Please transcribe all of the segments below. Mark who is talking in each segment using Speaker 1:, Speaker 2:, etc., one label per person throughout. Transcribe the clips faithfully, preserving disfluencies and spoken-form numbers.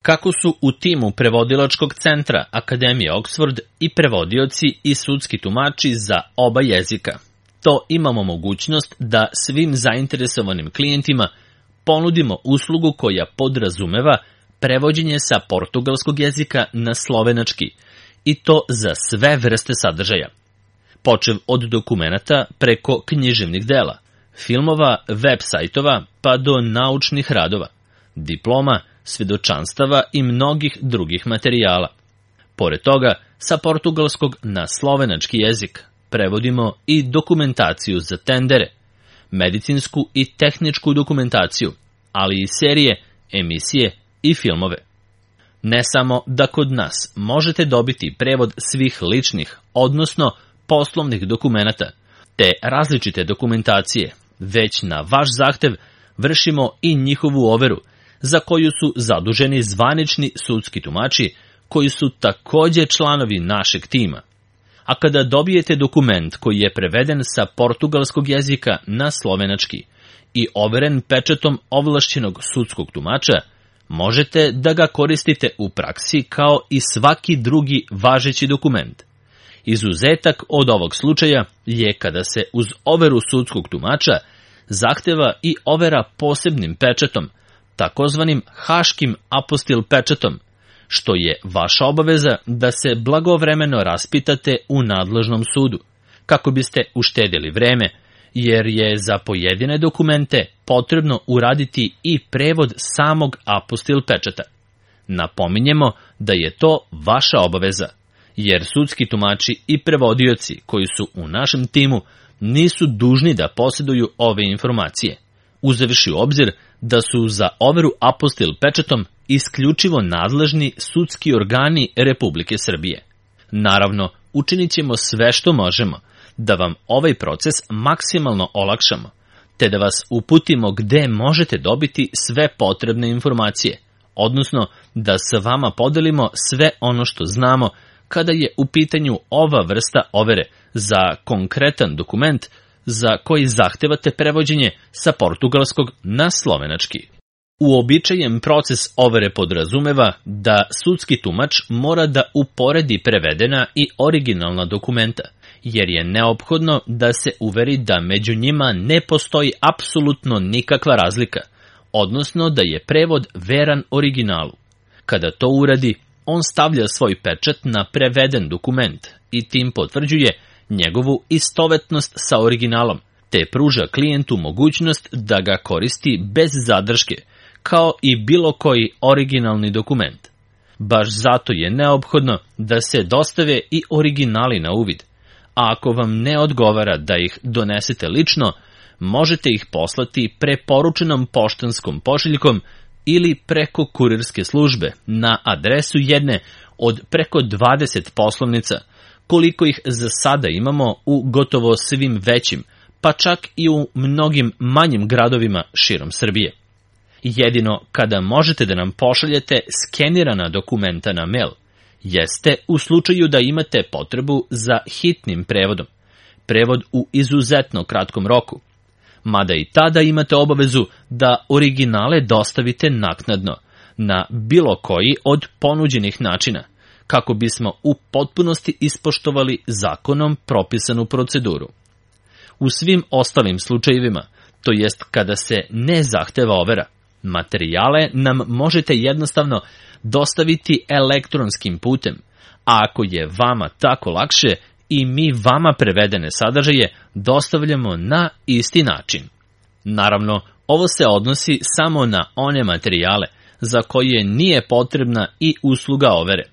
Speaker 1: Kako su u timu prevodilačkog centra Akademije Oxford i prevodioci i sudski tumači za oba jezika. To imamo mogućnost da svim zainteresovanim klijentima ponudimo uslugu koja podrazumeva prevođenje sa portugalskog jezika na slovenački, i to za sve vrste sadržaja, počev od dokumenata preko književnih dela, filmova, web sajtova pa do naučnih radova, diploma, svedočanstava i mnogih drugih materijala. Pored toga, sa portugalskog na slovenački jezik prevodimo i dokumentaciju za tendere, medicinsku i tehničku dokumentaciju, ali i serije, emisije i filmove. Ne samo da kod nas možete dobiti prevod svih ličnih, odnosno poslovnih dokumenata, te različite dokumentacije, već na vaš zahtev vršimo i njihovu overu, za koju su zaduženi zvanični sudski tumači, koji su takođe članovi našeg tima. A kada dobijete dokument koji je preveden sa portugalskog jezika na slovenački i overen pečatom ovlašćenog sudskog tumača, možete da ga koristite u praksi kao i svaki drugi važeći dokument. Izuzetak od ovog slučaja je kada se uz overu sudskog tumača zahteva i overa posebnim pečatom, takozvanim haškim apostil pečatom, što je vaša obaveza da se blagovremeno raspitate u nadležnom sudu, kako biste uštedili vreme, jer je za pojedine dokumente potrebno uraditi i prevod samog apostil pečata. Napominjemo da je to vaša obaveza, jer sudski tumači i prevodioci koji su u našem timu nisu dužni da posjeduju ove informacije, uzevši u obzir da su za overu apostil pečatom isključivo nadležni sudski organi Republike Srbije. Naravno, učinit ćemo sve što možemo da vam ovaj proces maksimalno olakšamo, te da vas uputimo gde možete dobiti sve potrebne informacije, odnosno da sa vama podelimo sve ono što znamo kada je u pitanju ova vrsta overe za konkretan dokument za koji zahtevate prevođenje sa portugalskog na slovenački. Uobičajen proces overe podrazumeva da sudski tumač mora da uporedi prevedena i originalna dokumenta, jer je neophodno da se uveri da među njima ne postoji apsolutno nikakva razlika, odnosno da je prevod veran originalu. Kada to uradi, on stavlja svoj pečat na preveden dokument i tim potvrđuje njegovu istovetnost sa originalom, te pruža klijentu mogućnost da ga koristi bez zadrške, kao i bilo koji originalni dokument. Baš zato je neophodno da se dostave i originali na uvid, a ako vam ne odgovara da ih donesete lično, možete ih poslati preporučenom poštanskom pošiljkom ili preko kurirske službe na adresu jedne od preko dvadeset poslovnica, koliko ih za sada imamo u gotovo svim većim, pa čak i u mnogim manjim gradovima širom Srbije. Jedino kada možete da nam pošaljete skenirana dokumenta na mail, jeste u slučaju da imate potrebu za hitnim prevodom, prevod u izuzetno kratkom roku, mada i tada imate obavezu da originale dostavite naknadno, na bilo koji od ponuđenih načina, kako bismo u potpunosti ispoštovali zakonom propisanu proceduru. U svim ostalim slučajevima, to jest kada se ne zahteva overa, materijale nam možete jednostavno dostaviti elektronskim putem, a ako je vama tako lakše, i mi vama prevedene sadržaje dostavljamo na isti način. Naravno, ovo se odnosi samo na one materijale za koje nije potrebna i usluga overe.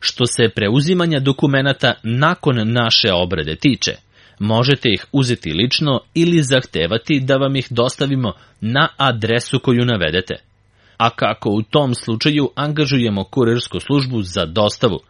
Speaker 1: Što se preuzimanja dokumenata nakon naše obrade tiče, možete ih uzeti lično ili zahtevati da vam ih dostavimo na adresu koju navedete. A kako u tom slučaju angažujemo kurirsku službu za dostavu,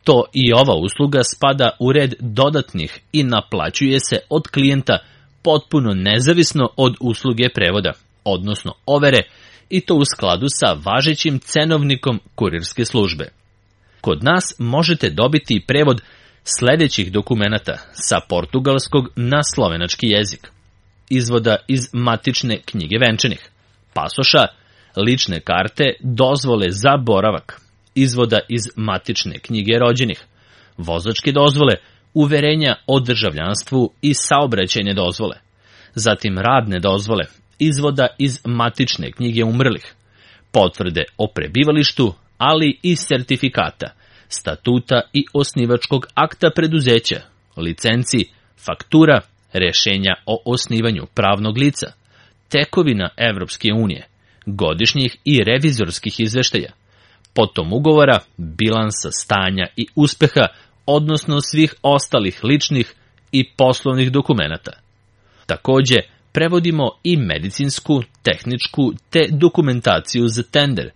Speaker 1: to i ova usluga spada u red dodatnih i naplaćuje se od klijenta potpuno nezavisno od usluge prevoda, odnosno overe, i to u skladu sa važećim cenovnikom kurirske službe. Kod nas možete dobiti prevod sledećih dokumenata sa portugalskog na slovenački jezik: izvoda iz matične knjige venčanih, pasoša, lične karte, dozvole za boravak, izvoda iz matične knjige rođenih, vozačke dozvole, uverenja o državljanstvu i saobraćajne dozvole, zatim radne dozvole, izvoda iz matične knjige umrlih, potvrde o prebivalištu, ali i sertifikata, statuta i osnivačkog akta preduzeća, licenci, faktura, rešenja o osnivanju pravnog lica, tekovina Evropske unije, godišnjih i revizorskih izveštaja, potom ugovora, bilansa stanja i uspeha, odnosno svih ostalih ličnih i poslovnih dokumenata. Takođe, prevodimo i medicinsku, tehničku te dokumentaciju za tender,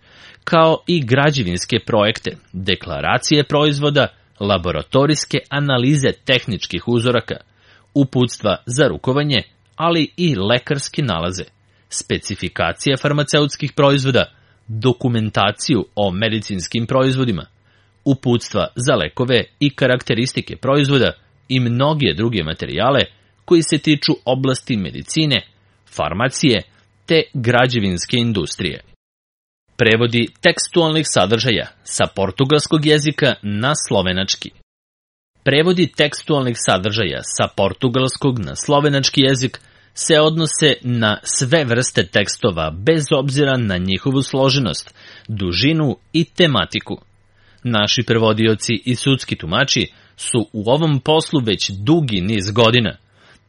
Speaker 1: kao i građevinske projekte, deklaracije proizvoda, laboratorijske analize tehničkih uzoraka, uputstva za rukovanje, ali i lekarske nalaze, specifikacije farmaceutskih proizvoda, dokumentaciju o medicinskim proizvodima, uputstva za lekove i karakteristike proizvoda i mnoge druge materijale koji se tiču oblasti medicine, farmacije te građevinske industrije. Prevodi tekstualnih sadržaja sa portugalskog jezika na slovenački. Prevodi tekstualnih sadržaja sa portugalskog na slovenački jezik se odnose na sve vrste tekstova bez obzira na njihovu složenost, dužinu i tematiku. Naši prevodioci i sudski tumači su u ovom poslu već dugi niz godina,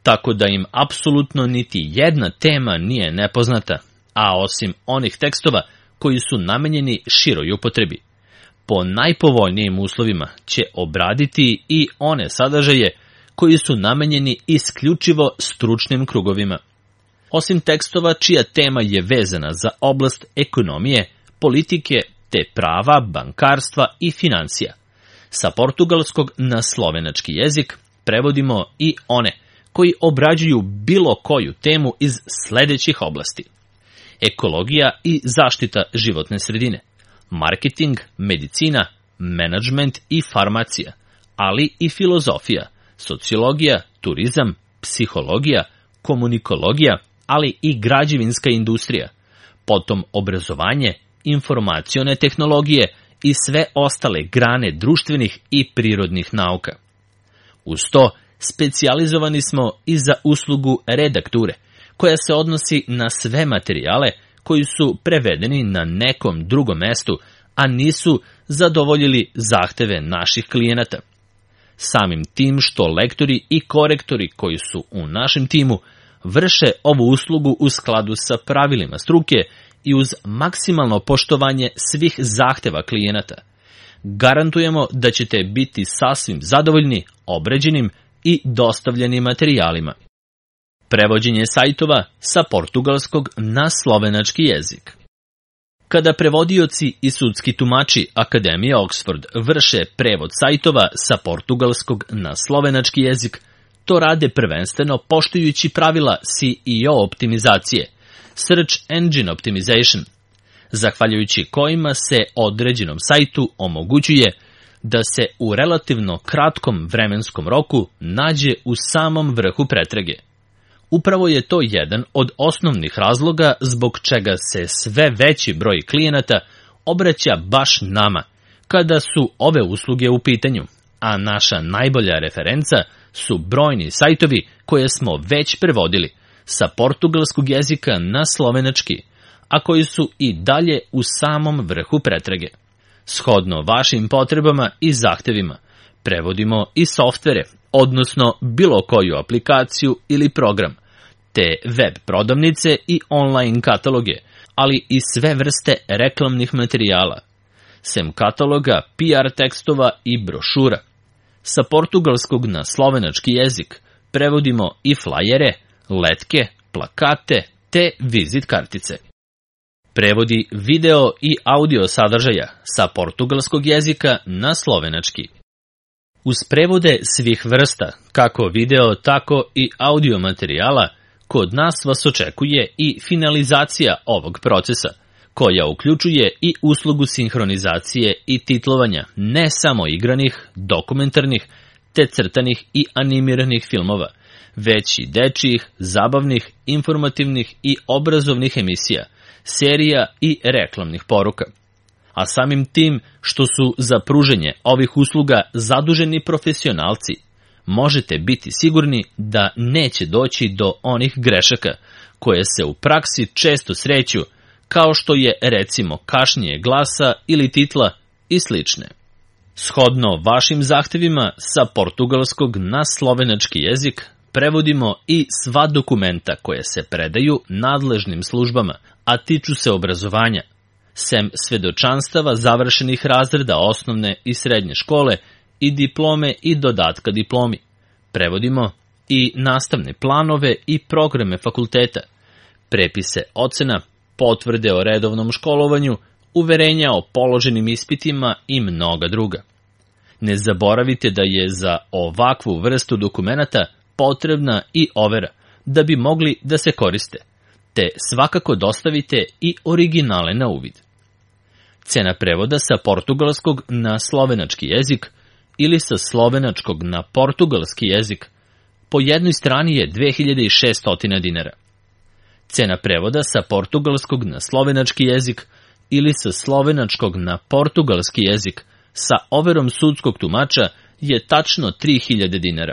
Speaker 1: tako da im apsolutno niti jedna tema nije nepoznata, a osim onih tekstova koji su namenjeni široj upotrebi. Po najpovoljnijim uslovima će obraditi i one sadržaje koji su namenjeni isključivo stručnim krugovima. Osim tekstova čija tema je vezana za oblast ekonomije, politike te prava, bankarstva i financija. Sa portugalskog na slovenački jezik prevodimo i one koji obrađuju bilo koju temu iz sledećih oblasti: ekologija i zaštita životne sredine, marketing, medicina, menadžment i farmacija, ali i filozofija, sociologija, turizam, psihologija, komunikologija, ali i građevinska industrija, potom obrazovanje, informacione tehnologije i sve ostale grane društvenih i prirodnih nauka. Uz to, specijalizovani smo i za uslugu redakture, koja se odnosi na sve materijale koji su prevedeni na nekom drugom mestu, a nisu zadovoljili zahteve naših klijenata. Samim tim što lektori i korektori koji su u našem timu vrše ovu uslugu u skladu sa pravilima struke i uz maksimalno poštovanje svih zahteva klijenata, garantujemo da ćete biti sasvim zadovoljni obrađenim i dostavljenim materijalima. Prevođenje sajtova sa portugalskog na slovenački jezik. Kada prevodioci i sudski tumači Akademije Oxford vrše prevod sajtova sa portugalskog na slovenački jezik, to rade prvenstveno poštujući pravila S E O optimizacije, Search Engine Optimization, zahvaljujući kojima se određenom sajtu omogućuje da se u relativno kratkom vremenskom roku nađe u samom vrhu pretrage. Upravo je to jedan od osnovnih razloga zbog čega se sve veći broj klijenata obraća baš nama kada su ove usluge u pitanju, a naša najbolja referenca su brojni sajtovi koje smo već prevodili sa portugalskog jezika na slovenački, a koji su i dalje u samom vrhu pretrage. Shodno vašim potrebama i zahtevima, prevodimo i softvere, odnosno bilo koju aplikaciju ili program, te web prodavnice i online kataloge, ali i sve vrste reklamnih materijala, sem kataloga, P R tekstova i brošura. Sa portugalskog na slovenački jezik prevodimo i flajere, letke, plakate te vizit kartice. Prevodi video i audio sadržaja sa portugalskog jezika na slovenački. Uz prevode svih vrsta, kako video, tako i audio materijala, kod nas vas očekuje i finalizacija ovog procesa, koja uključuje i uslugu sinhronizacije i titlovanja ne samo igranih, dokumentarnih, te crtanih i animiranih filmova, već i dečijih, zabavnih, informativnih i obrazovnih emisija, serija i reklamnih poruka. A samim tim što su za pruženje ovih usluga zaduženi profesionalci, možete biti sigurni da neće doći do onih grešaka koje se u praksi često sreću, kao što je recimo kašnjenje glasa ili titla i slične. Shodno vašim zahtevima sa portugalskog na slovenački jezik prevodimo i sva dokumenta koje se predaju nadležnim službama, a tiču se obrazovanja, sem svedočanstava završenih razreda osnovne i srednje škole i diplome i dodatka diplomi. Prevodimo i nastavne planove i programe fakulteta, prepise ocena, potvrde o redovnom školovanju, uverenja o položenim ispitima i mnoga druga. Ne zaboravite da je za ovakvu vrstu dokumenata potrebna i overa da bi mogli da se koriste, te svakako dostavite i originale na uvid. Cena prevoda sa portugalskog na slovenački jezik ili sa slovenačkog na portugalski jezik po jednoj strani je dve hiljade šesto dinara. Cena prevoda sa portugalskog na slovenački jezik ili sa slovenačkog na portugalski jezik sa overom sudskog tumača je tačno tri hiljade dinara.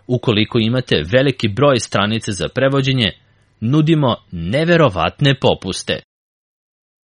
Speaker 1: Ukoliko imate veliki broj stranice za prevođenje, nudimo neverovatne popuste.